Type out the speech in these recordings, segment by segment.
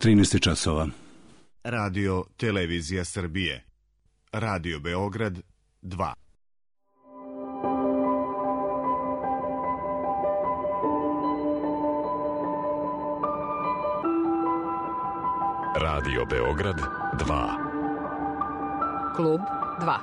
13 časova. Radio Televizija Srbije. Radio Beograd 2. Radio Beograd 2. Klub 2.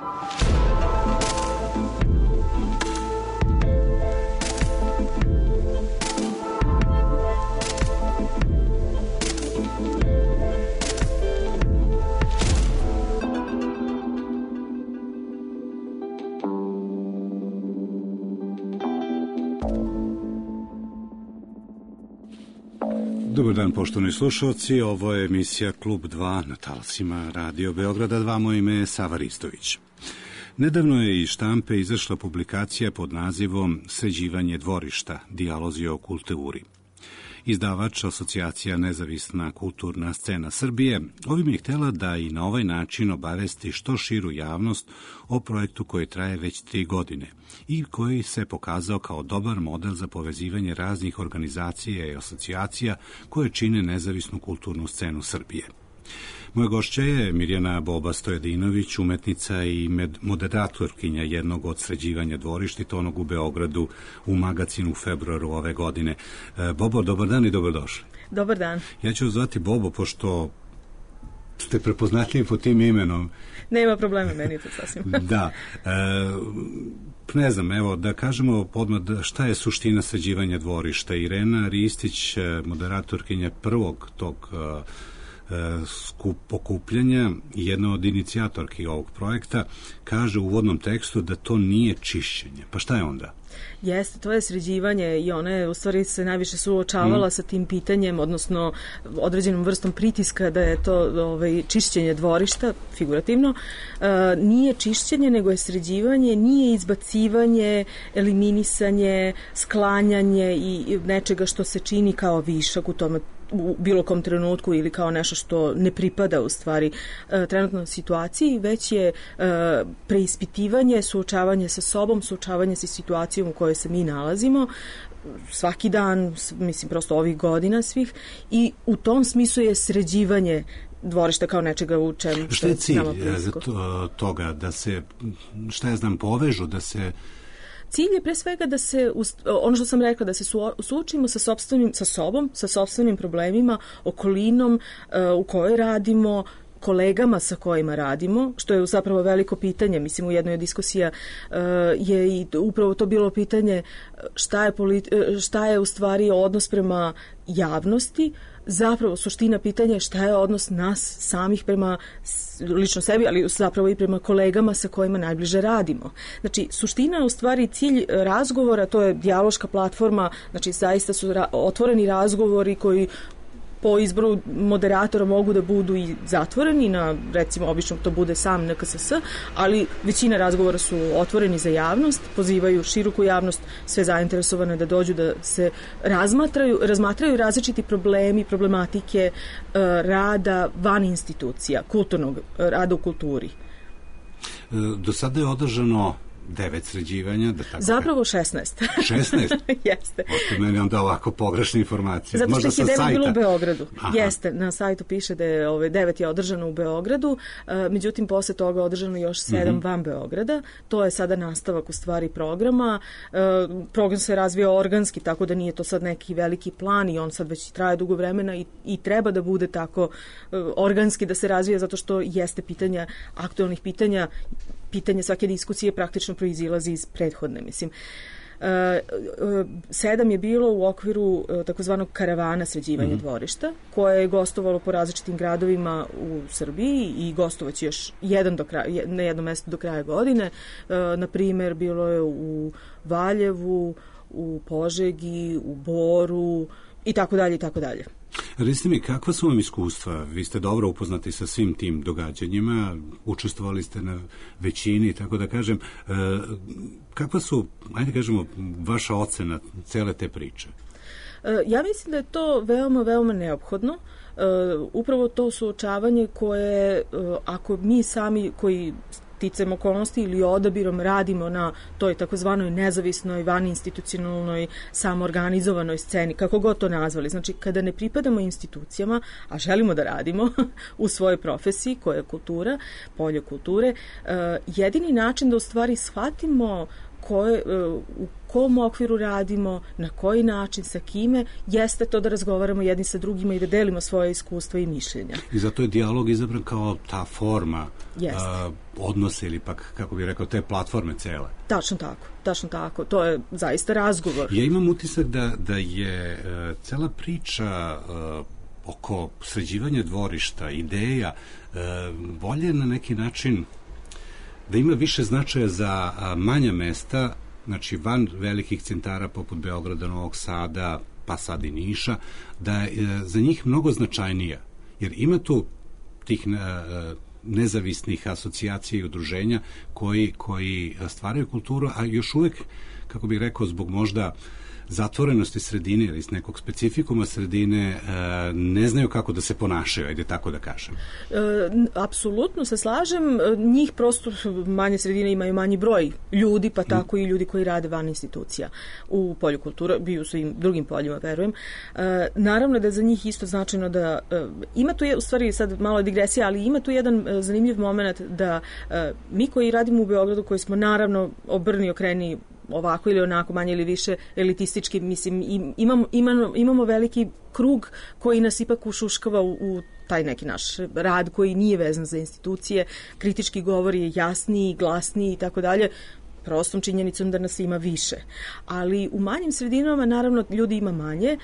Dobar dan, poštovani slušalci, ovo je emisija Klub 2 na talasima Radio Beograda 2, moje ime je Sava Ristović. Nedavno je iz štampe izašla publikacija pod nazivom Sređivanje dvorišta, dijalozi o kulturi. Izdavač Asocijacija Nezavisna kulturna scena Srbije ovim je htjela da i na ovaj način obavesti što širu javnost o projektu koji traje već 3 godine i koji se pokazao kao dobar model za povezivanje raznih organizacija i asocijacija koje čine nezavisnu kulturnu scenu Srbije. Moja gošća je Mirjana Boba Stojadinović, umetnica i moderatorkinja jednog od sređivanja dvorišta, onog u Beogradu u magazinu u februaru ove godine. Bobo, dobar dan i dobrodošli. Dobar dan. Ja ću zvati Bobo, pošto ste prepoznatljivi po tim imenom. Nema problema, meni je to sasvim. Da. Ne znam, evo, da kažemo odmah šta je suština sređivanja dvorišta. Irena Ristić, moderatorkinja prvog tog okupljanja i jedna od inicijatorki ovog projekta, kaže u uvodnom tekstu da to nije čišćenje. Pa šta je onda? Jeste, to je sređivanje i ona je u stvari se najviše suočavala sa tim pitanjem, odnosno određenom vrstom pritiska da je to čišćenje dvorišta, figurativno. Nije čišćenje, nego je sređivanje, nije izbacivanje, eliminisanje, sklanjanje i nečega što se čini kao višak u tome u bilo kom trenutku ili kao nešto što ne pripada u stvari trenutnoj situaciji, već je preispitivanje, suočavanje sa sobom, suočavanje sa situacijom u kojoj se mi nalazimo svaki dan, mislim prosto ovih godina svih, i u tom smislu je sređivanje dvorišta kao nečega u čemu što je cilj toga da se, šta ja znam, povežu, da se... Cilj je pre svega da se, ono što sam rekla, da se suočimo sa sobom, sa sopstvenim problemima, okolinom u kojoj radimo, kolegama sa kojima radimo, što je zapravo veliko pitanje. Mislim, u jednoj od diskusija je i upravo to bilo pitanje šta je u stvari odnos prema javnosti. Zapravo suština pitanja je šta je odnos nas samih prema lično sebi, ali zapravo i prema kolegama sa kojima najbliže radimo. Znači, suština je u stvari cilj razgovora, to je dijaloška platforma, znači zaista su otvoreni razgovori koji po izboru moderatora mogu da budu i zatvoreni, na, recimo, obično to bude sam NKSS, ali većina razgovora su otvoreni za javnost, pozivaju široku javnost, sve zainteresovane da dođu da se razmatraju različiti problemi, problematike rada van institucija, kulturnog rada u kulturi. Do sada je održano 9 sređivanja. Zapravo 16. 16? Jeste. Ošte meni onda ovako pogrešne informacije. Zato što možda ih je 9 bilo u Beogradu. Aha. Jeste, na sajtu piše da je 9 je održano u Beogradu, međutim posle toga održano još 7 van Beograda. To je sada nastavak u stvari programa. Program se razvija organski, tako da nije to sad neki veliki plan i on sad već traje dugo vremena i treba da bude tako organski da se razvija, zato što jeste aktualnih pitanje svake diskusije praktično proizilazi iz prethodne, mislim. 7 je bilo u okviru takozvanog karavana sređivanja dvorišta, koje je gostovalo po različitim gradovima u Srbiji i gostovaće još na jednom mjestu do kraja godine. Na primjer, bilo je u Valjevu, u Požegi, u Boru i tako dalje i tako dalje. Recite mi, kakva su vam iskustva? Vi ste dobro upoznati sa svim tim događanjima, učestvovali ste na većini, tako da kažem. Kakva su, ajde kažemo, vaša ocena cele te priče? Ja mislim da je to veoma, veoma neophodno. Upravo to suočavanje koje, ako mi sami koji sticajem okolnosti ili odabirom radimo na toj takozvanoj nezavisnoj, vaninstitucionalnoj, samoorganizovanoj sceni, kako god to nazvali. Znači, kada ne pripadamo institucijama, a želimo da radimo u svojoj profesiji, koja je kultura, polje kulture, jedini način da u stvari shvatimo u kom okviru radimo, na koji način, sa kime, jeste to da razgovaramo jedni sa drugima i da delimo svoje iskustva i mišljenja. I zato je dijalog izabran kao ta forma odnose ili pak, kako bih rekao, te platforme cele. Tačno tako. To je zaista razgovor. Ja imam utisak da je cela priča oko sređivanja dvorišta, ideja, bolje na neki način da ima više značaja za manja mesta, znači van velikih centara poput Beograda, Novog Sada, pa sad i Niša, da je za njih mnogo značajnija. Jer ima tu tih nezavisnih asocijacija i udruženja koji stvaraju kulturu, a još uvek, kako bih rekao, zbog možda zatvorenosti sredine ili iz nekog specifikuma sredine ne znaju kako da se ponašaju, ajde tako da kažem. Apsolutno se slažem. Njih prosto manje sredine imaju manji broj ljudi, pa tako i ljudi koji rade van institucija u polju kulture, bi u svim drugim poljima, verujem. Naravno da je za njih isto značajno da ima tu, u stvari sad malo digresija, ali ima tu jedan zanimljiv moment da mi koji radimo u Beogradu, koji smo naravno obrni okreni ovako ili onako, manje ili više elitistički, mislim, imamo veliki krug koji nas ipak ušuškava u taj neki naš rad koji nije vezan za institucije, kritički govor je jasniji, glasniji i tako dalje, prostom činjenicom da nas ima više. Ali u manjim sredinama, naravno, ljudi ima manje.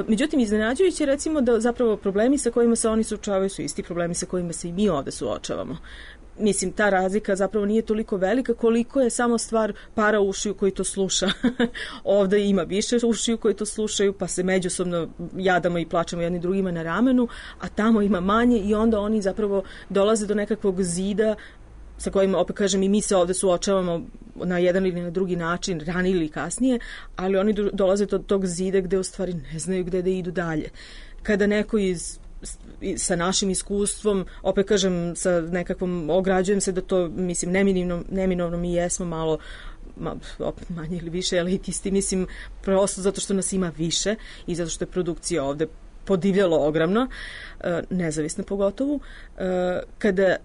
Međutim, iznenađujuće recimo da zapravo problemi sa kojima se oni suočavaju su isti problemi sa kojima se i mi ovde suočavamo. Mislim, ta razlika zapravo nije toliko velika koliko je samo stvar para ušiju koji to sluša. Ovde ima više ušiju koji to slušaju, pa se međusobno jadamo i plačemo jedni drugima na ramenu, a tamo ima manje i onda oni zapravo dolaze do nekakvog zida sa kojima, opet kažem, i mi se ovde suočavamo na jedan ili na drugi način, ranije ili kasnije, ali oni dolaze do tog zida gde u stvari ne znaju gde da idu dalje. Kada neko sa našim iskustvom, opet kažem, sa nekakvom, ograđujem se da to, mislim, neminovno mi jesmo malo opet manje ili više elitisti, mislim, prosto zato što nas ima više i zato što je produkcija ovde podivljalo ogromno, nezavisno pogotovo, kada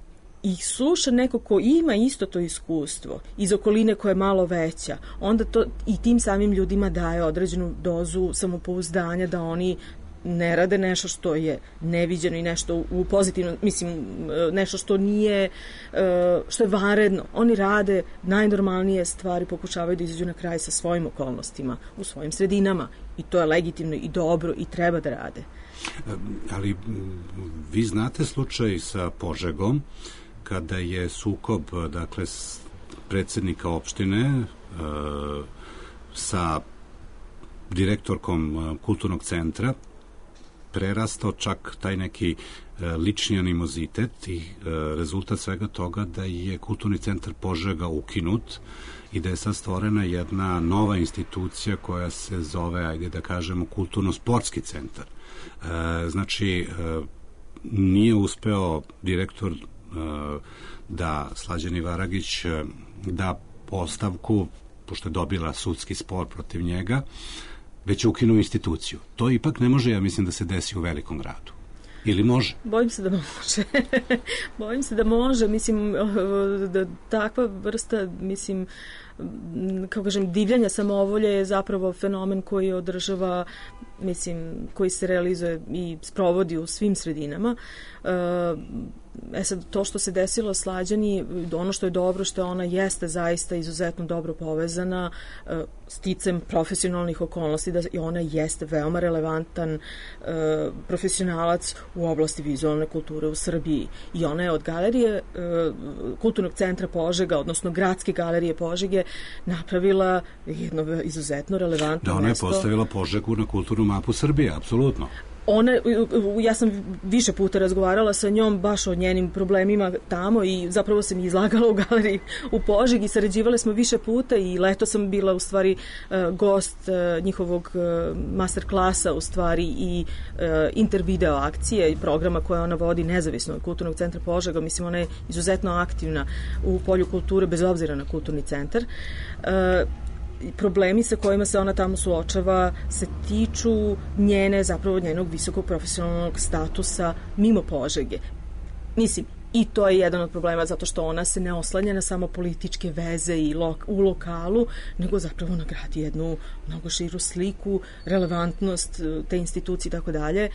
ih sluša neko ko ima isto to iskustvo iz okoline koja je malo veća, onda to i tim samim ljudima daje određenu dozu samopouzdanja da oni ne rade nešto što je neviđeno i nešto u pozitivno, mislim, nešto što nije, što je vanredno. Oni rade najnormalnije stvari, pokušavaju da izađu na kraj sa svojim okolnostima, u svojim sredinama i to je legitimno i dobro i treba da rade. Ali vi znate slučaj sa Požegom, kada je sukob, dakle, predsednika opštine sa direktorkom kulturnog centra prerastao čak taj neki lični animozitet i rezultat svega toga da je kulturni centar Požega ukinut i da je sad stvorena jedna nova institucija koja se zove, ajde da kažemo, kulturno-sportski centar. Znači, nije uspeo direktor da Slađan Ivaragić da ostavku, pošto je dobila sudski spor protiv njega, već je ukinuo instituciju. To ipak ne može, ja mislim, da se desi u velikom gradu. Ili može? Bojim se da može. Bojim se da može. Mislim, da takva vrsta, mislim, kako kažem, divljanja samovolje je zapravo fenomen koji održava, mislim, koji se realizuje i sprovodi u svim sredinama. Sad, to što se desilo Slađani, ono što je dobro, što ona jeste zaista izuzetno dobro povezana sticem profesionalnih okolnosti, da i ona jeste veoma relevantan profesionalac u oblasti vizualne kulture u Srbiji. I ona je od galerije Kulturnog centra Požega, odnosno Gradske galerije Požege, napravila jedno izuzetno relevantno mesto. Da, ona je postavila Požegu na kulturnu mapu Srbije, apsolutno. Ja sam više puta razgovarala sa njom baš o njenim problemima tamo i zapravo sam izlagala u galeriji u Požegi, sarađivale smo više puta i leto sam bila u stvari gost njihovog master klasa u stvari i intervideo akcije i programa koje ona vodi nezavisno od Kulturnog centra Požega. Mislim, ona je izuzetno aktivna u polju kulture bez obzira na kulturni centar. Problemi sa kojima se ona tamo suočava se tiču zapravo njenog visokog profesionalnog statusa mimo Požege. Mislim, i to je jedan od problema zato što ona se ne oslanja na samo političke veze i u lokalu, nego zapravo nagradi jednu mnogo širu sliku, relevantnost te institucije i tako dalje,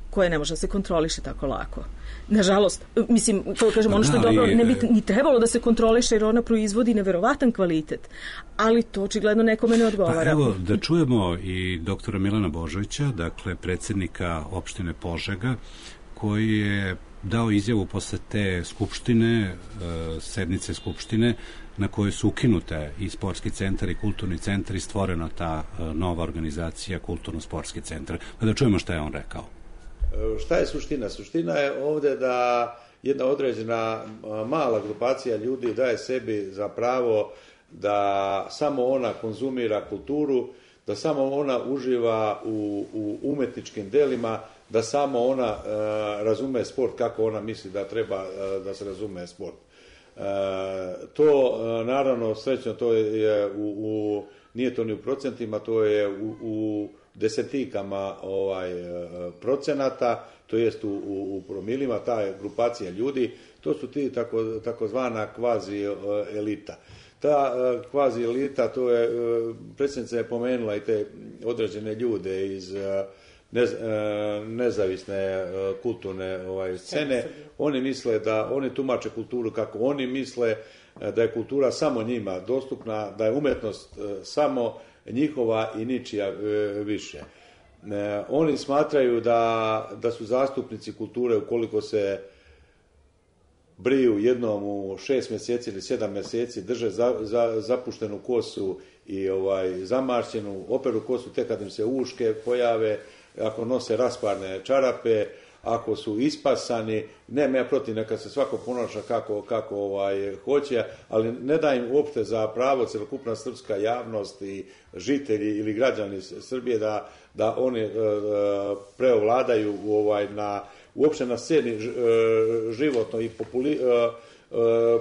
koje ne može da se kontroliše tako lako. Nažalost, mislim, to kažem, ono što je dobro, ne bi ni trebalo da se kontroliše jer ona proizvodi neverovatan kvalitet, ali to očigledno nekome ne odgovara. Pa evo, da čujemo i doktora Milana Božovića, dakle, predsjednika opštine Požega, koji je dao izjavu posle te skupštine, sednice skupštine, na kojoj su ukinute i sportski centar i kulturni centar i stvorena ta nova organizacija kulturno-sportski centar. Pa da čujemo šta je on rekao. Šta je suština? Suština je ovdje da jedna određena mala grupacija ljudi daje sebi za pravo da samo ona konzumira kulturu, da samo ona uživa u umetničkim delima, da samo ona razume sport kako ona misli da treba da se razume sport. To, naravno, srećno, to je nije to ni u procentima, to je u desetikama procenata, to jest u promilima, ta grupacija ljudi, to su ti takozvana kvazi elita. Ta kvazi elita, to je, predsjednica je pomenula i te određene ljude iz nezavisne kulturne scene. Oni misle da, oni tumače kulturu kako oni misle, da je kultura samo njima dostupna, da je umetnost samo njihova i ničija više. Oni smatraju da su zastupnici kulture ukoliko se briju jednom u 6 mjeseci ili 7 mjeseci, drže zapuštenu kosu i zamašćenu, operu kosu tek kad im se uške pojave, ako nose rasparne čarape, ako su ispasani, nema ja protiv, neka se svako ponaša kako hoće, ali ne da im uopšte za pravo celokupna srpska javnost i žitelji ili građani Srbije da oni preovladaju uopšte na sceni životno i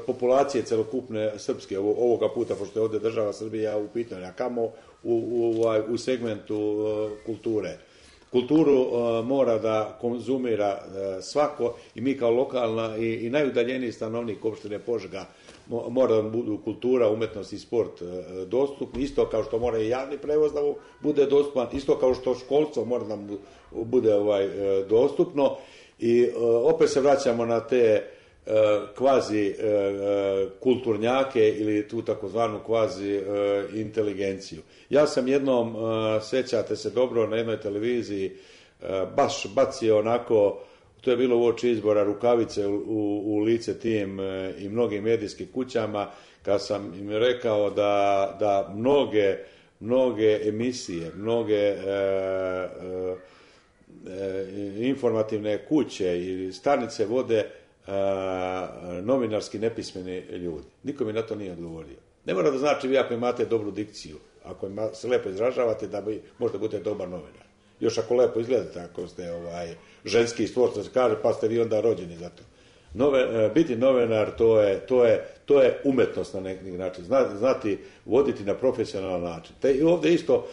populacije celokupne srpske ovoga puta, pošto je ovdje država Srbija u pitanju, a kamo u segmentu kulture. Kulturu mora da konzumira svako i mi kao lokalna i najudaljeniji stanovnik opštine Požega mora da budu kultura, umetnost i sport dostupni, isto kao što mora i javni prevoz da bude dostupan, isto kao što školstvo mora da bude dostupno i opet se vraćamo na te kvazi kulturnjake ili tu takozvanu kvazi inteligenciju. Ja sam jednom, sećate se dobro, na jednoj televiziji baš bacio onako, to je bilo uoči izbora, rukavice u lice tim i mnogim medijskim kućama, kad sam im rekao da mnoge emisije, mnoge informativne kuće i stanice vode novinarski nepismeni ljudi. Niko mi na to nije odgovorio. Ne mora da znači vi ako imate dobru dikciju, ako se lepo izražavate, da bi možda budete dobar novinar. Još ako lepo izgledate, ako ste ženski stvor, što se kaže, pa ste vi onda rođeni za to. Biti novinar, to je umetnost na neki način. Znati voditi na profesionalan način. I ovdje isto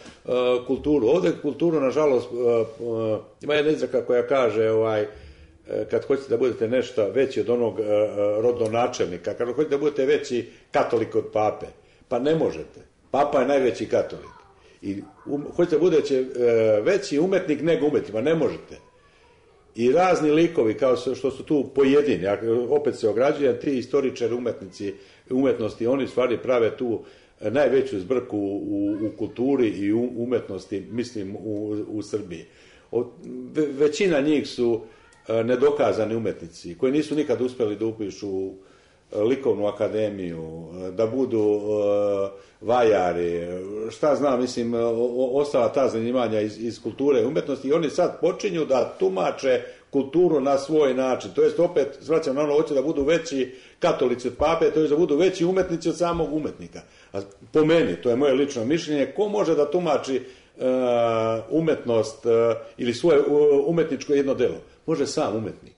kulturu. Ovdje kulturu, nažalost, ima jedna izreka koja kaže kad hoćete da budete nešto veći od onog rodonačelnika, kad hoćete da budete veći katolik od pape, pa ne možete. Papa je najveći katolik. I hoćete da budete veći umetnik nego umetnik, pa ne možete. I razni likovi, kao što su tu pojedini, opet se ograđujem, ti istoričari umetnosti, oni stvari prave tu najveću zbrku u kulturi i umetnosti, mislim, u Srbiji. Većina njih su nedokazani umetnici, koji nisu nikad uspjeli da upišu likovnu akademiju, da budu vajari, šta znam, mislim, ostala ta zanimanja iz kulture i umetnosti, i oni sad počinju da tumače kulturu na svoj način. To jest, opet, svraćam na ono, hoće da budu veći katolici od pape, to jest da budu veći umetnici od samog umetnika. A po meni, to je moje lično mišljenje, ko može da tumači umetnost ili svoje umetničko jedno delo? Može sam umetnik.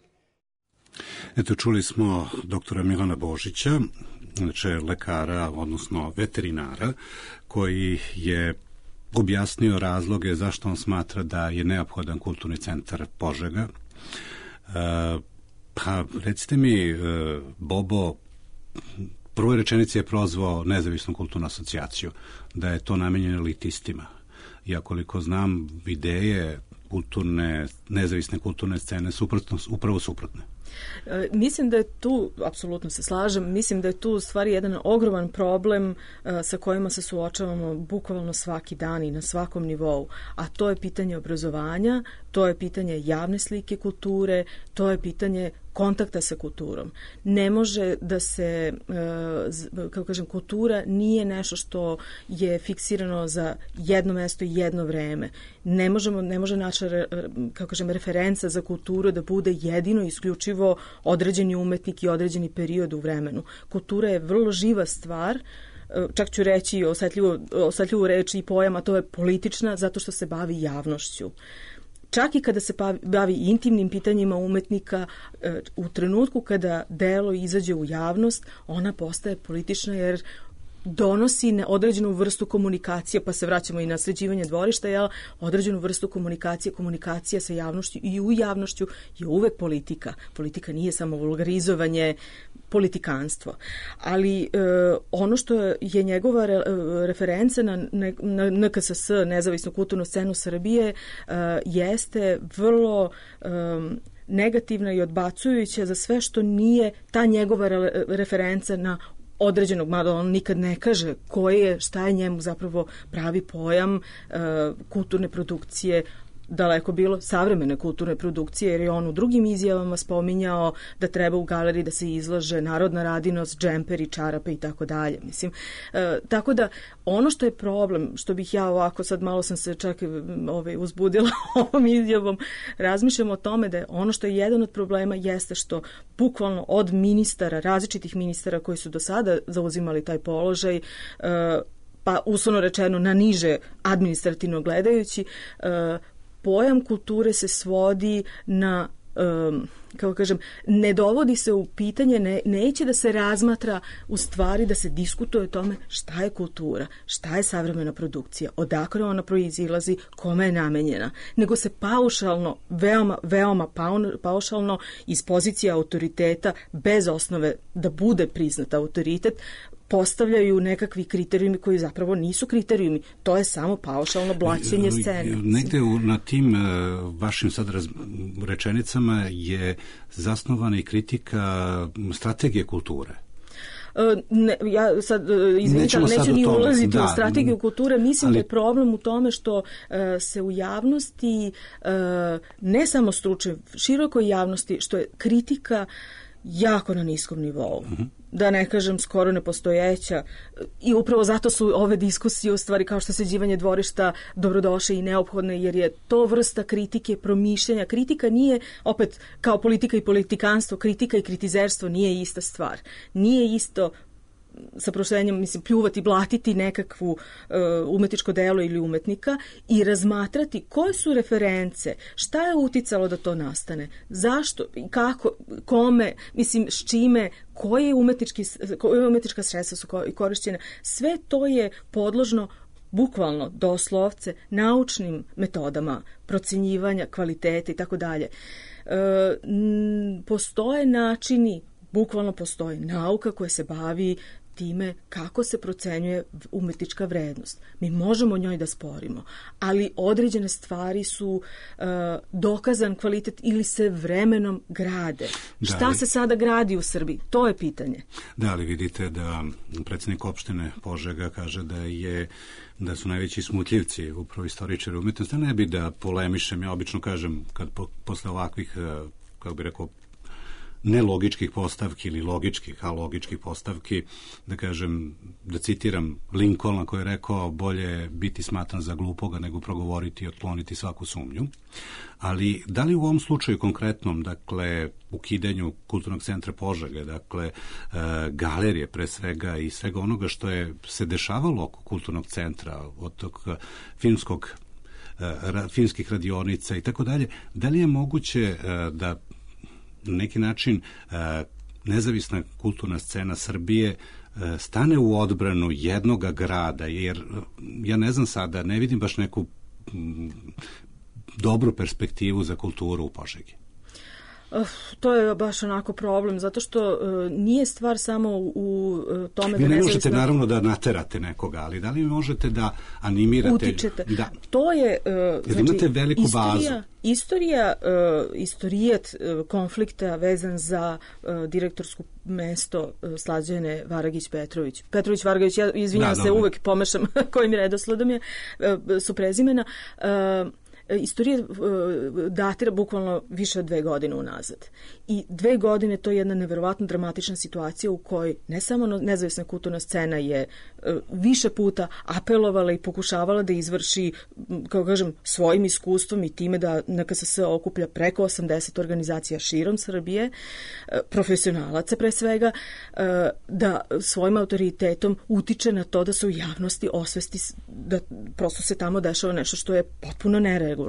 Eto, čuli smo doktora Milana Božića, znači lekara, odnosno veterinara, koji je objasnio razloge zašto on smatra da je neophodan kulturni centar Požega. Pa, recite mi, Bobo, prvoj rečenici je prozvao Nezavisnu kulturnu asocijaciju, da je to namenjeno elitistima. Ja koliko znam, ideje nezavisne kulturne scene su upravo suprotne. Mislim da je tu, apsolutno se slažem, mislim da je tu u stvari jedan ogroman problem sa kojima se suočavamo bukvalno svaki dan i na svakom nivou, a to je pitanje obrazovanja, to je pitanje javne slike kulture, to je pitanje kontakta sa kulturom. Ne može da se, kako kažem, kultura nije nešto što je fiksirano za jedno mesto i jedno vreme. Ne može naša, kako kažem, referenca za kulturu da bude jedino isključivo određeni umetnik i određeni period u vremenu. Kultura je vrlo živa stvar, čak ću reći osetljivu reč i pojam, a to je politična, zato što se bavi javnošću. Čak i kada se bavi intimnim pitanjima umetnika, u trenutku kada delo izađe u javnost, ona postaje politična jer donosi određenu vrstu komunikacije, pa se vraćamo i na sređivanje dvorišta, određenu vrstu komunikacija sa javnošću, i u javnošću je uvek politika. Politika nije samo vulgarizovanje, politikanstvo. Ali ono što je njegova referenca na NKSS, Nezavisnu kulturnu scenu Srbije, jeste vrlo negativna i odbacujuća za sve što nije ta njegova referenca na određenog, mada on nikad ne kaže šta je njemu zapravo pravi pojam kulturne produkcije, daleko bilo savremene kulturne produkcije, jer je on u drugim izjavama spominjao da treba u galeriji da se izlaže narodna radinost, džemperi, čarape i tako dalje. Mislim, tako da ono što je problem, što bih ja ovako, sad malo sam se čak uzbudila ovom izjavom, razmišljam o tome da je ono što je jedan od problema jeste što bukvalno od ministara, različitih ministara koji su do sada zauzimali taj položaj, pa uslovno rečeno na niže administrativno gledajući, pojam kulture se svodi na, kako kažem, ne dovodi se u pitanje, neće da se razmatra, u stvari da se diskutuje o tome šta je kultura, šta je savremena produkcija, odakle ona proizilazi, kome je namenjena, nego se paušalno, veoma paušalno iz pozicije autoriteta, bez osnove da bude priznat autoritet, postavljaju nekakvi kriterijumi koji zapravo nisu kriterijumi. To je samo paušalno blaćenje scene. Negde na tim vašim sad rečenicama je zasnovana i kritika strategije kulture. Ja sad, izvinite, ali neću ni ulaziti u strategiju kulture. Mislim da je problem u tome što se u javnosti, ne samo stručne, širokoj javnosti, što je kritika jako na niskom nivou. Da ne kažem skoro nepostojeća, i upravo zato su ove diskusije u stvari kao što sređivanje dvorišta dobrodošle i neophodne, jer je to vrsta kritike, promišljanja. Kritika nije, opet kao politika i politikanstvo, kritika i kritizerstvo nije ista stvar. Nije isto, sa prošlenjem, mislim, pljuvati, blatiti nekakvu umetničko delo ili umetnika i razmatrati koje su reference, šta je uticalo da to nastane, zašto, kako, kome, mislim, s čime, koje umetnička sredstva su korišćene. Sve to je podložno bukvalno, doslovce, naučnim metodama procenjivanja kvalitete i tako dalje. Postoje načini, bukvalno postoji nauka koja se bavi time kako se procenjuje umetnička vrednost. Mi možemo o njoj da sporimo, ali određene stvari su dokazan kvalitet ili se vremenom grade. Šta se sada gradi u Srbiji? To je pitanje. Da, ali vidite da predsjednik opštine Požega kaže da su najveći smutljivci upravo istoričari umetnosti. Ne bi da polemišem, ja obično kažem kad posle ovakvih, kako bi rekao, nelogičkih postavki ili logičkih, a logičkih postavki, da kažem, da citiram Lincolna koji je rekao bolje biti smatran za glupoga nego progovoriti i otkloniti svaku sumnju. Ali da li u ovom slučaju konkretnom, dakle, ukidanju Kulturnog centra Požege, dakle, galerije pre svega i svega onoga što je se dešavalo oko Kulturnog centra, od tog filmskih radionica i tako dalje, da li je moguće da na neki način nezavisna kulturna scena Srbije stane u odbranu jednoga grada, jer ja ne znam sada, ne vidim baš neku dobru perspektivu za kulturu u Požegi. To je baš onako problem, zato što nije stvar samo u tome vi ne možete naravno da naterate nekoga, ali da li možete da animirate? Utičete. Da. To je, znači, imate veliku bazu. Istorijat konflikta vezan za direktorsko mesto Slađane Varagić-Petrović. Petrović-Varagić, ja izvinjam se, uvek pomešam kojim redosledom su prezimena. Istorija datira bukvalno više od 2 godine unazad. I 2 godine to je jedna neverovatno dramatična situacija u kojoj ne samo nezavisna kulturna scena je više puta apelovala i pokušavala da izvrši, kao kažem, svojim iskustvom i time da NKSS okuplja preko 80 organizacija širom Srbije, profesionalaca pre svega, da svojim autoritetom utiče na to da se u javnosti osvesti da prosto se tamo dešava nešto što je potpuno neregularno.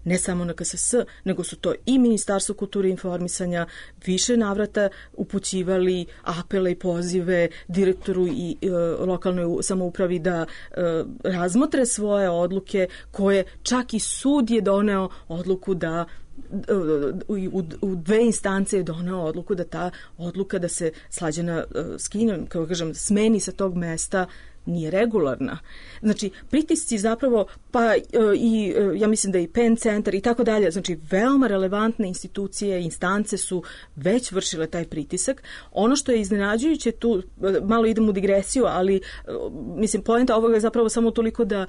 Ne samo na KSS, nego su to i Ministarstvo kulture i informisanja više navrata upućivali apele i pozive direktoru i lokalnoj samoupravi da razmotre svoje odluke, koje čak i sud je doneo odluku da u 2 instance je doneo odluku da ta odluka da se Slađana skine, kao kažem, smeni sa tog mesta nije regularna. Znači, pritisci zapravo, pa i ja mislim da i PEN centar i tako dalje, znači veoma relevantne institucije, instance su već vršile taj pritisak. Ono što je iznenađujuće tu, malo idem u digresiju, ali mislim, poenta ovoga je zapravo samo toliko da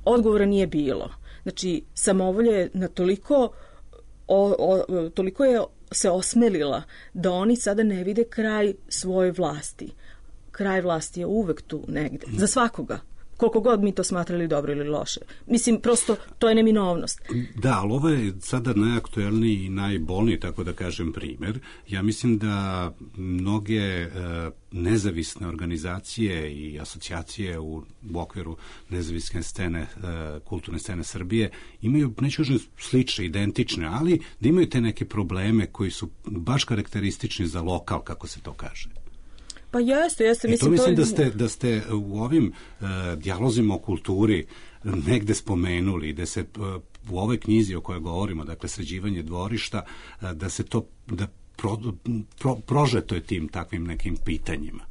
odgovora nije bilo. Znači, samovolje na toliko je se osmelila da oni sada ne vide kraj svoje vlasti. Kraj vlasti je uvek tu negde, za svakoga, koliko god mi to smatrali dobro ili loše. Mislim, prosto, to je neminovnost. Da, ali ovo je sada najaktuelniji i najbolniji, tako da kažem, primer. Ja mislim da mnoge nezavisne organizacije i asocijacije u okviru nezavisne scene, kulturne scene Srbije, imaju, neću kažem slične, identične, ali da imaju te neke probleme koji su baš karakteristični za lokal, kako se to kaže. Pa jeste. Mislim da ste u ovim dijalozima o kulturi negde spomenuli, da se u ovoj knjizi o kojoj govorimo, dakle sređivanje dvorišta, da se to prožeto je tim takvim nekim pitanjima.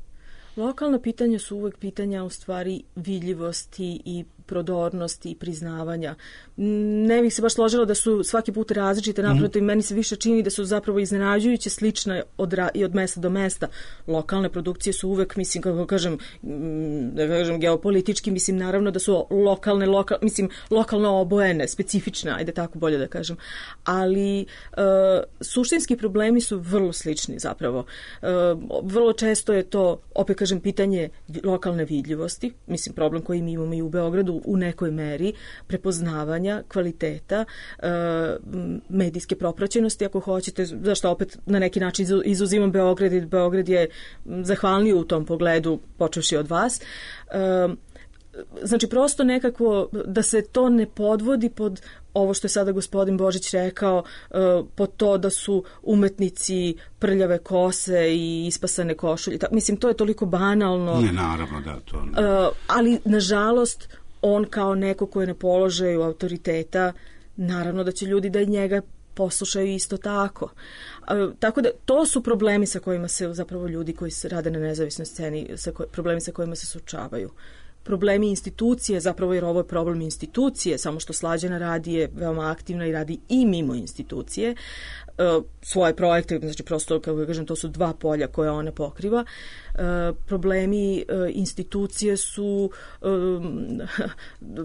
Lokalna pitanja su uvek pitanja u stvari vidljivosti i prodornosti i priznavanja. Ne bih se baš složila da su svaki put različite, naprotiv, meni se više čini da su zapravo iznenađujuće slične i od mesta do mesta. Lokalne produkcije su uvek, mislim, kako kažem, geopolitički, mislim, naravno da su lokalno obojene, specifične, ajde tako bolje da kažem. Ali suštinski problemi su vrlo slični zapravo. Vrlo često je to, opet kažem, pitanje lokalne vidljivosti, mislim, problem koji mi imamo i u Beogradu u nekoj meri, prepoznavanja, kvaliteta, medijske propraćenosti, ako hoćete, zašto opet na neki način izuzimam Beograd i Beograd je zahvalniji u tom pogledu, počevši od vas. Znači, prosto nekako da se to ne podvodi pod ovo što je sada gospodin Božić rekao, pod to da su umetnici prljave kose i ispasane košulje. Mislim, to je toliko banalno. Ne, naravno, da, to ne. Ali, nažalost, on kao neko ko je na položaju autoriteta, naravno da će ljudi da njega poslušaju isto tako. Tako da, to su problemi sa kojima se zapravo ljudi koji se rade na nezavisnoj sceni, problemi sa kojima se suočavaju. problemi institucije, zapravo jer ovo je problem institucije, samo što Slađana radi je veoma aktivna i radi i mimo institucije, svoje projekte, znači prosto, kako kažem, to su dva polja koje ona pokriva. Problemi institucije su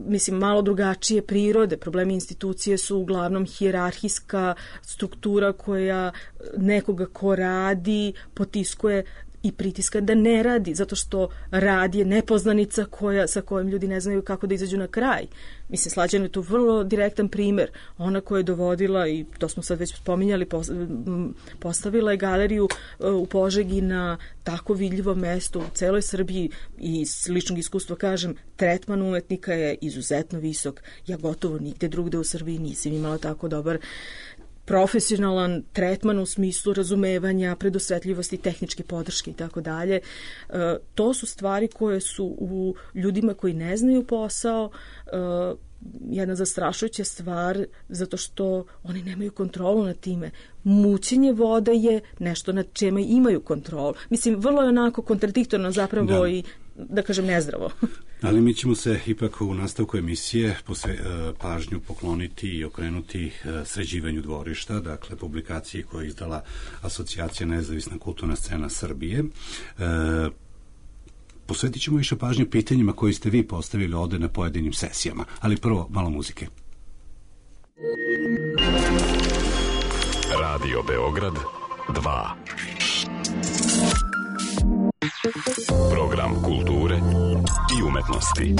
mislim malo drugačije prirode. Problemi institucije su uglavnom hijerarhijska struktura koja nekoga ko radi potiskuje i pritiska da ne radi, zato što rad je nepoznanica sa kojom ljudi ne znaju kako da izađu na kraj. Mislim, Slađana je tu vrlo direktan primer. Ona koja je dovodila, i to smo sad već spominjali, postavila je galeriju u Požegi na tako vidljivo mesto u celoj Srbiji i iz ličnog iskustva kažem, tretman umetnika je izuzetno visok. Ja gotovo nigde drugde u Srbiji nisam imala tako dobar profesionalan tretman u smislu razumevanja, predosvetljivosti, tehničke podrške i tako dalje. To su stvari koje su u ljudima koji ne znaju posao jedna zastrašujuća stvar, zato što oni nemaju kontrolu nad time. Mućenje voda je nešto nad čime imaju kontrolu. Mislim, vrlo je onako kontradiktorno zapravo i da kažem nezdravo. Ali mi ćemo se ipak u nastavku emisije pažnju pokloniti i okrenuti sređivanju dvorišta, dakle publikaciji koju je izdala Asocijacija Nezavisna kulturna scena Srbije. Posvetit ćemo više pažnje pitanjima koje ste vi postavili ovde na pojedinim sesijama, ali prvo malo muzike. Radio Beograd 2. Program kulture i umetnosti.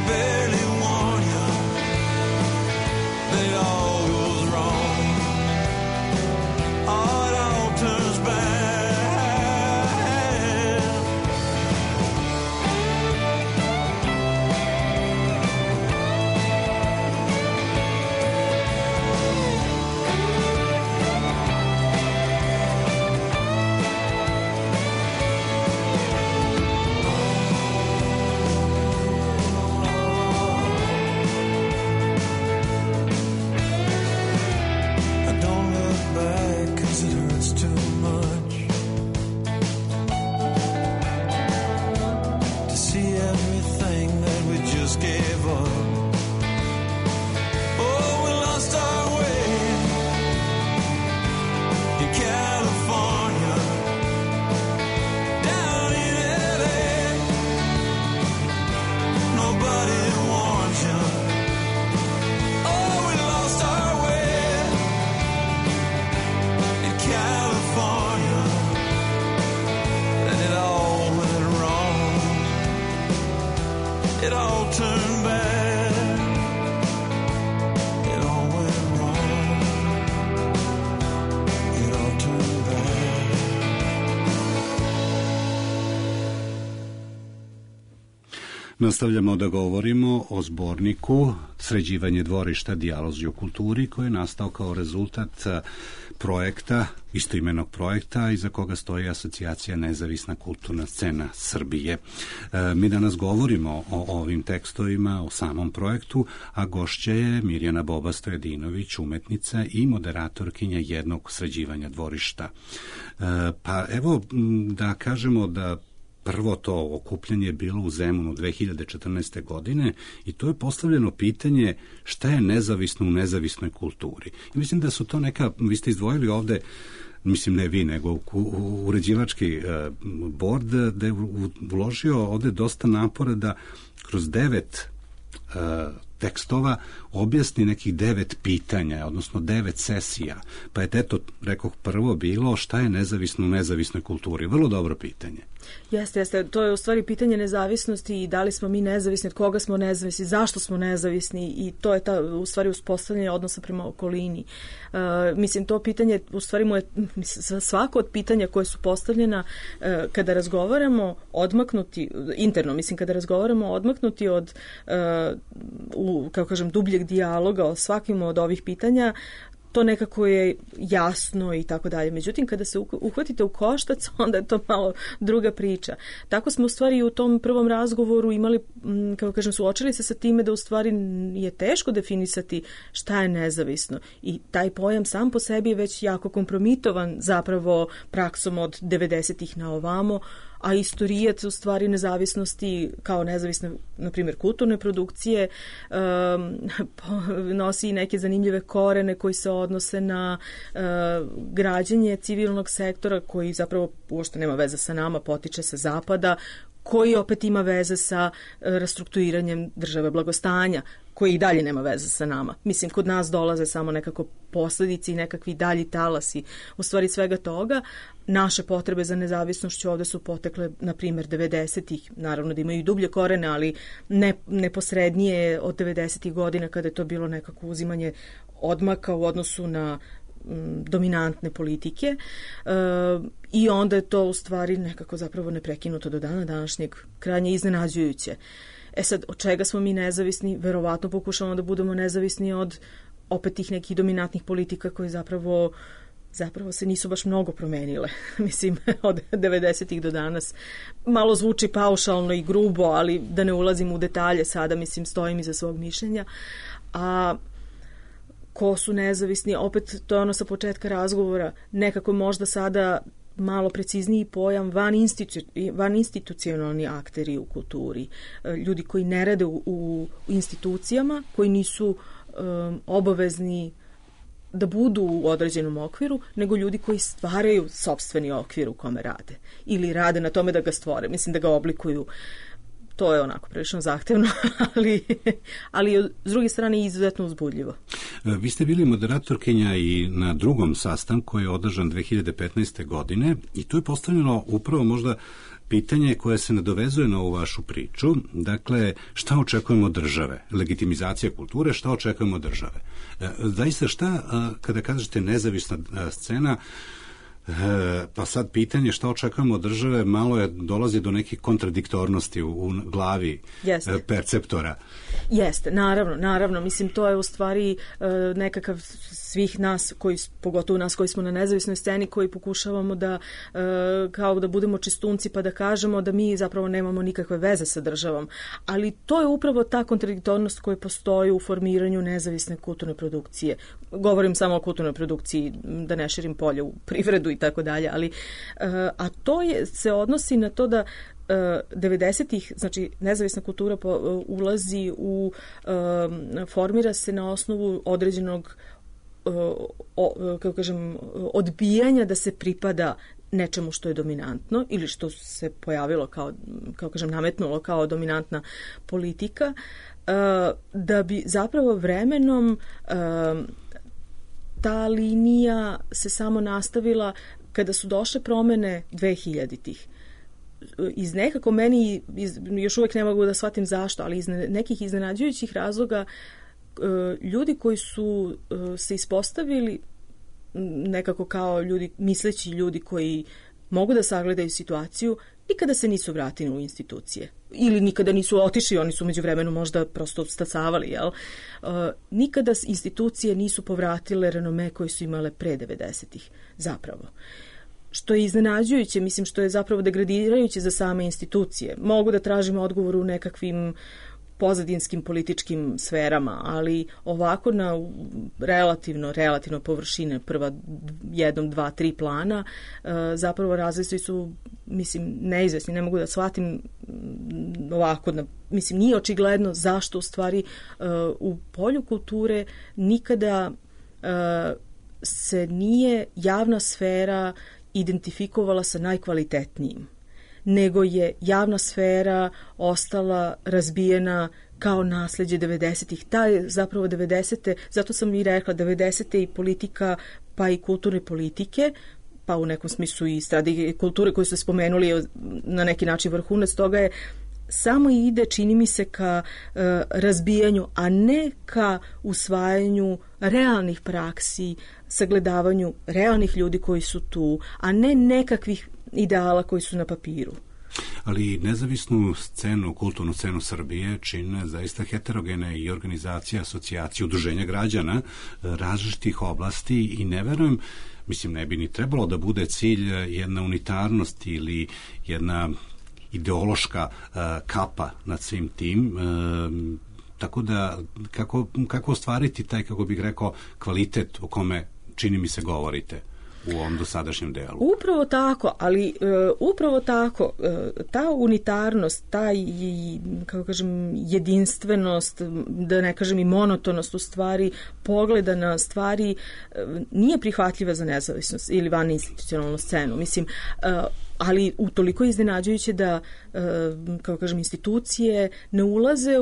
Barely warn you. Nastavljamo da govorimo o zborniku Sređivanje dvorišta, dijalozi o kulturi, koji je nastao kao rezultat projekta, istoimenog projekta, iza koga stoji Asocijacija Nezavisna kulturna scena Srbije. Mi danas govorimo o ovim tekstovima, o samom projektu, a gošća je Mirjana Boba Stojadinović, umetnica i moderatorkinja jednog Sređivanja dvorišta. Pa evo da kažemo da prvo to okupljanje je bilo u Zemunu 2014. godine i to je postavljeno pitanje šta je nezavisno u nezavisnoj kulturi. I mislim da su to neka, vi ste izdvojili ovde, mislim ne vi, nego uređivački bord, da je uložio ovde dosta napora da kroz 9 tekstova objasni nekih 9 pitanja, odnosno 9 sesija. Pa je eto, rekoh, prvo bilo šta je nezavisno u nezavisnoj kulturi. Vrlo dobro pitanje. Jeste. To je u stvari pitanje nezavisnosti i da li smo mi nezavisni, od koga smo nezavisni, zašto smo nezavisni i to je u stvari uspostavljanje odnosa prema okolini. Mislim, to pitanje, u stvari mu je svako od pitanja koje su postavljena kada razgovaramo odmaknuti, interno, mislim, kada razgovaramo odmaknuti od, kako kažem, dubljeg dijaloga o svakim od ovih pitanja, to nekako je jasno i tako dalje. Međutim, kada se uhvatite u koštac, onda je to malo druga priča. Tako smo u stvari u tom prvom razgovoru imali, kako kažem, suočili se sa time da u stvari je teško definisati šta je nezavisno. I taj pojam sam po sebi je već jako kompromitovan zapravo praksom od 90-ih na ovamo, a istorijat u stvari nezavisnosti kao nezavisne, na primjer, kulturne produkcije nosi i neke zanimljive korene koji se odnose na građenje civilnog sektora koji zapravo uopšte nema veze sa nama, potiče sa zapada, koji opet ima veze sa restrukturiranjem države blagostanja, koji i dalje nema veze sa nama. Mislim, kod nas dolaze samo nekako posledice i nekakvi dalji talasi u stvari svega toga. Naše potrebe za nezavisnošću ovde su potekle, na primjer, 90-ih, naravno da imaju i dublje korene, ali neposrednije od 90-ih godina kada je to bilo nekako uzimanje odmaka u odnosu na dominantne politike i onda je to u stvari nekako zapravo neprekinuto do dana današnjeg, krajnje iznenađujuće. Sad, od čega smo mi nezavisni? Verovatno pokušamo da budemo nezavisni od opet tih nekih dominantnih politika koje zapravo se nisu baš mnogo promenile. Mislim, od 90-ih do danas. Malo zvuči paušalno i grubo, ali da ne ulazim u detalje sada, mislim, stojim iza svog mišljenja. A ko su nezavisni? Opet, to je ono sa početka razgovora. Nekako možda sada malo precizniji pojam van institucionalni akteri u kulturi. Ljudi koji ne rade u institucijama, koji nisu obavezni da budu u određenom okviru, nego ljudi koji stvaraju sopstveni okvir u kome rade. Ili rade na tome da ga stvore, mislim da ga oblikuju. To je onako prilično zahtevno, ali s druge strane izuzetno uzbudljivo. Vi ste bili moderatorkinja i na drugom sastanku koji je održan 2015. godine i tu je postavljeno upravo možda pitanje koje se nadovezuje na ovu vašu priču. Dakle, šta očekujemo od države? Legitimizacija kulture, šta očekujemo od države? Zaista šta, kada kažete nezavisna scena, pa sad pitanje šta očekujemo od države malo dolazi do nekih kontradiktornosti u glavi perceptora. Jeste, naravno, mislim to je u stvari nekakav svih nas, pogotovo nas koji smo na nezavisnoj sceni, koji pokušavamo da kao da budemo čistunci pa da kažemo da mi zapravo nemamo nikakve veze sa državom. Ali to je upravo ta kontradiktornost koja postoji u formiranju nezavisne kulturne produkcije. Govorim samo o kulturnoj produkciji, da ne širim polje u privredu i tako dalje, ali a to se odnosi na to da 90-ih, znači nezavisna kultura ulazi formira se na osnovu određenog kako kažem, odbijanja da se pripada nečemu što je dominantno ili što se pojavilo kao kažem, nametnulo kao dominantna politika, da bi zapravo vremenom ta linija se samo nastavila kada su došle promene 2000-ih. Iz nekako meni, još uvek ne mogu da shvatim zašto, ali iz nekih iznenađujućih razloga ljudi koji su se ispostavili nekako kao ljudi, misleći ljudi koji mogu da sagledaju situaciju, nikada se nisu vratili u institucije. Ili nikada nisu otišli, oni su međuvremenu možda prosto stasavali, jel? Nikada institucije nisu povratile renome koje su imale pre 90-ih, zapravo. Što je iznenađujuće, mislim, što je zapravo degradirajuće za same institucije. Mogu da tražimo odgovor u nekakvim pozadinskim političkim sferama, ali ovako na relativno površine prva 1, 2, 3 plana zapravo razlici su, mislim, neizvesni. Ne mogu da shvatim ovako, mislim, nije očigledno zašto u stvari u polju kulture nikada se nije javna sfera identifikovala sa najkvalitetnijim, nego je javna sfera ostala razbijena kao nasleđe 90-ih. Ta je zapravo 90-te, zato sam i rekla 90-te i politika, pa i kulturne politike, pa u nekom smislu i strategije kulture koje su spomenuli na neki način vrhunac toga je samo ide, čini mi se, ka razbijanju, a ne ka usvajanju realnih praksi, sagledavanju realnih ljudi koji su tu, a ne nekakvih ideala koji su na papiru. Ali nezavisnu scenu, kulturnu scenu Srbije čine zaista heterogene i organizacije, asocijacije, udruženja građana različitih oblasti i ne verujem, mislim, ne bi ni trebalo da bude cilj jedna unitarnost ili jedna ideološka kapa nad svim tim, tako da kako ostvariti taj, kako bih rekao, kvalitet o kome čini mi se govorite u ovom dosadašnjem delu. Upravo tako, ali upravo tako, ta unitarnost, ta, kako kažem, jedinstvenost, da ne kažem i monotonost u stvari pogleda na stvari nije prihvatljiva za nezavisnost ili van institucionalnu scenu. Mislim, ali utoliko je iznenađujuće da, kako kažem, institucije ne ulaze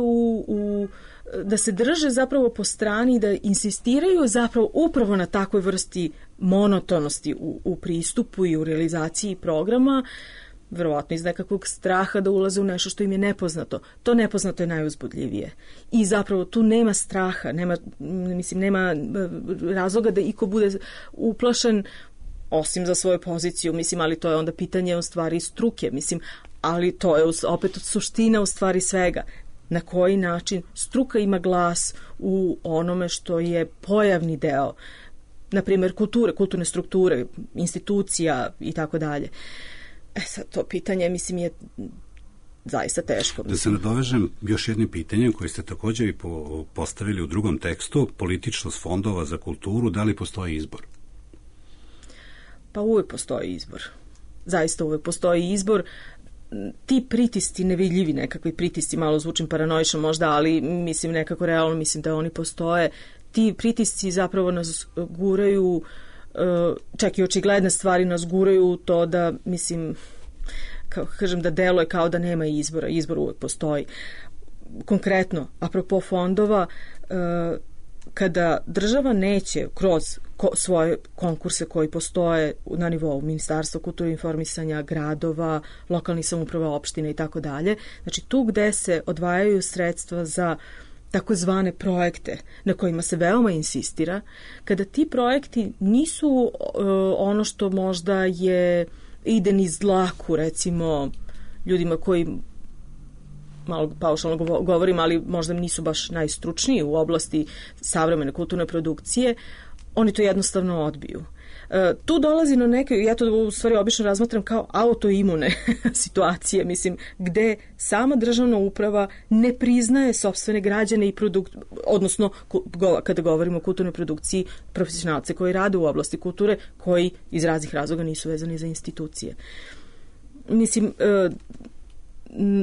da se drže zapravo po strani, da insistiraju zapravo upravo na takvoj vrsti monotonosti u pristupu i u realizaciji programa, verovatno iz nekakvog straha da ulaze u nešto što im je nepoznato. To nepoznato je najuzbudljivije. I zapravo tu nema straha, nema razloga da iko bude uplašen osim za svoju poziciju, mislim, ali to je onda pitanje u stvari struke, mislim, ali to je opet suština u stvari svega. Na koji način struka ima glas u onome što je pojavni deo, na primjer kulturne strukture, institucija i tako dalje. Sad to pitanje, mislim, je zaista teško. Da se nadovežem još jednim pitanjem koje ste također i postavili u drugom tekstu, političnost fondova za kulturu, da li postoji izbor? Pa uvijek postoji izbor. Zaista uvijek postoji izbor. Ti pritisci, nevidljivi nekakvi pritisci, malo zvučim paranoično možda, ali mislim nekako realno, mislim da oni postoje. Ti pritisci zapravo nas guraju, čak i očigledne stvari nas guraju u to da, mislim, kako kažem, da deluje kao da nema izbora. Izbor uvijek postoji. Konkretno, apropo fondova, kada država neće kroz svoje konkurse koji postoje na nivou Ministarstva kulture i informisanja, gradova, lokalnih samouprava, opština i tako dalje, znači tu gde se odvajaju sredstva za takozvane projekte na kojima se veoma insistira, kada ti projekti nisu ono što možda ide niz dlaku, recimo ljudima koji, malo paušalno govorim, ali možda nisu baš najstručniji u oblasti savremene kulturne produkcije, oni to jednostavno odbiju. Tu dolazi na neke, ja to u stvari obično razmatram kao autoimune situacije, mislim, gde sama državna uprava ne priznaje sopstvene građane i odnosno kada govorimo o kulturnoj produkciji, profesionalce koji rade u oblasti kulture, koji iz raznih razloga nisu vezani za institucije. Mislim,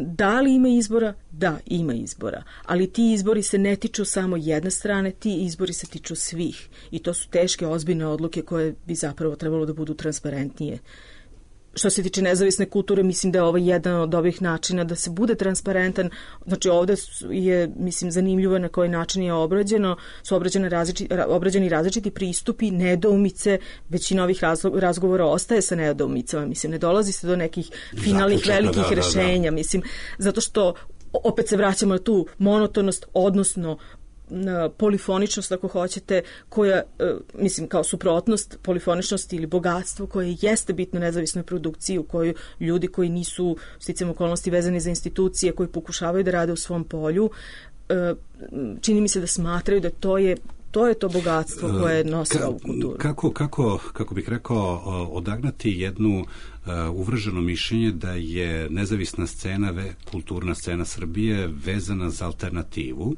da li ima izbora? Da, ima izbora. Ali ti izbori se ne tiču samo jedne strane, ti izbori se tiču svih. I to su teške, ozbiljne odluke koje bi zapravo trebalo da budu transparentnije. Što se tiče nezavisne kulture, mislim da je ovo jedan od ovih načina da se bude transparentan. Znači ovde je, mislim, zanimljivo na koji način je su obrađeni različiti pristupi, nedoumice, većina ovih razgovora ostaje sa nedoumicama, mislim, ne dolazi se do nekih finalnih velikih rešenja, mislim, zato što opet se vraćamo na tu monotonost, odnosno polifoničnost, ako hoćete, koja, mislim, kao suprotnost polifoničnosti ili bogatstvo koje jeste bitno nezavisnoj produkciji u kojoj ljudi koji nisu sticajem okolnosti vezani za institucije, koji pokušavaju da rade u svom polju, čini mi se da smatraju da to je to bogatstvo koje nosi ovu kulturu. Kako bih rekao, odagnati jednu uvrženo mišljenje da je nezavisna scena, kulturna scena Srbije vezana za alternativu,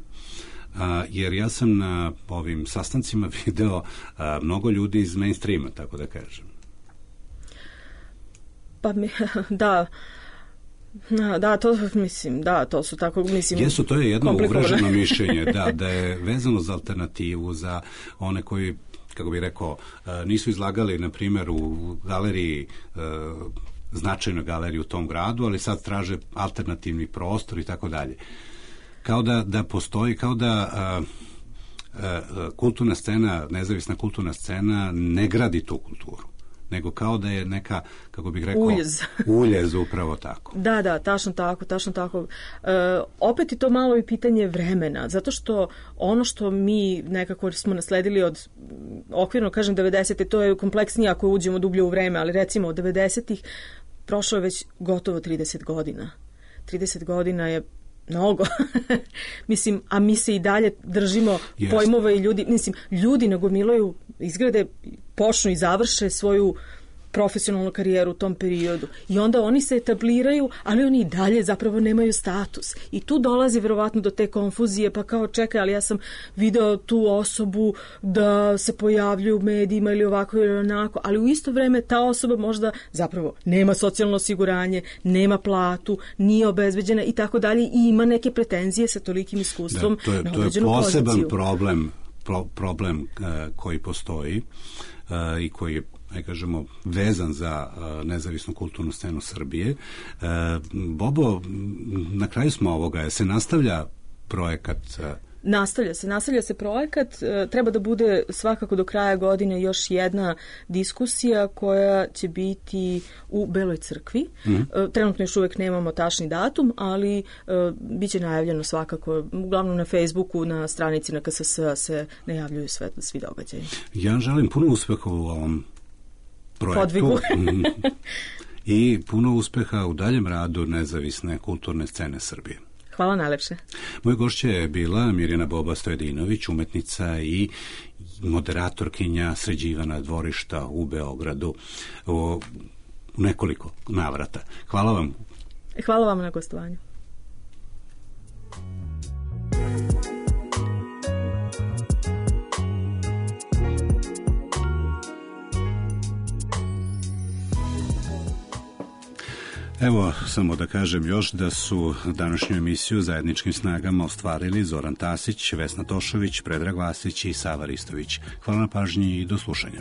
jer ja sam na ovim sastancima video mnogo ljudi iz mainstreama, tako da kažem. Pa to su tako, mislim, jesu, to je jedno uvrženo mišljenje, da je vezano za alternativu, za one koji, kako bih rekao, nisu izlagali, na primjer, u galeriji, značajnoj galeriji u tom gradu, ali sad traže alternativni prostor i tako dalje. Kao da postoji, kao da kulturna scena, nezavisna kulturna scena ne gradi tu kulturu, nego kao da je neka, kako bih rekao, uljez upravo tako. Da, tačno tako. Opet je to malo i pitanje vremena, zato što ono što mi nekako smo nasledili od, okvirno kažem 90. to je kompleksnije ako uđemo dublje u vreme, ali recimo od 90-ih prošlo je već gotovo 30 godina. 30 godina je mnogo. Mislim, a mi se i dalje držimo pojmova i ljudi nagomilaju, izgrade, počnu i završe svoju profesionalnu karijeru u tom periodu. I onda oni se etabliraju, ali oni i dalje zapravo nemaju status. I tu dolazi verovatno do te konfuzije, pa kao čekaj, ali ja sam video tu osobu da se pojavljuje u medijima ili ovako ili onako, ali u isto vreme ta osoba možda zapravo nema socijalno osiguranje, nema platu, nije obezbeđena i tako dalje i ima neke pretenzije sa tolikim iskustvom na određenu poziciju. To je poseban problem koji postoji i koji je, kažemo, vezan za nezavisnu kulturnu scenu Srbije. Bobo, na kraju smo ovoga, se nastavlja projekat? Nastavlja se projekat, treba da bude svakako do kraja godine još jedna diskusija koja će biti u Beloj crkvi. Trenutno još uvijek nemamo tačni datum, ali bit će najavljeno svakako, uglavnom na Facebooku, na stranici na KSS se najavljuju svi događaji. Ja želim puno uspeha u ovom projektu. Podvigu. I puno uspeha u daljem radu nezavisne kulturne scene Srbije. Hvala najlepše. Moja gošća je bila Mirjana Boba Stojedinović, umetnica i moderatorkinja sređivana dvorišta u Beogradu u nekoliko navrata. Hvala vam. Hvala vam na gostovanju. Evo, samo da kažem još da su današnju emisiju zajedničkim snagama ostvarili Zoran Tasić, Vesna Tošović, Predrag Vasić i Sava Ristović. Hvala na pažnji i do slušanja.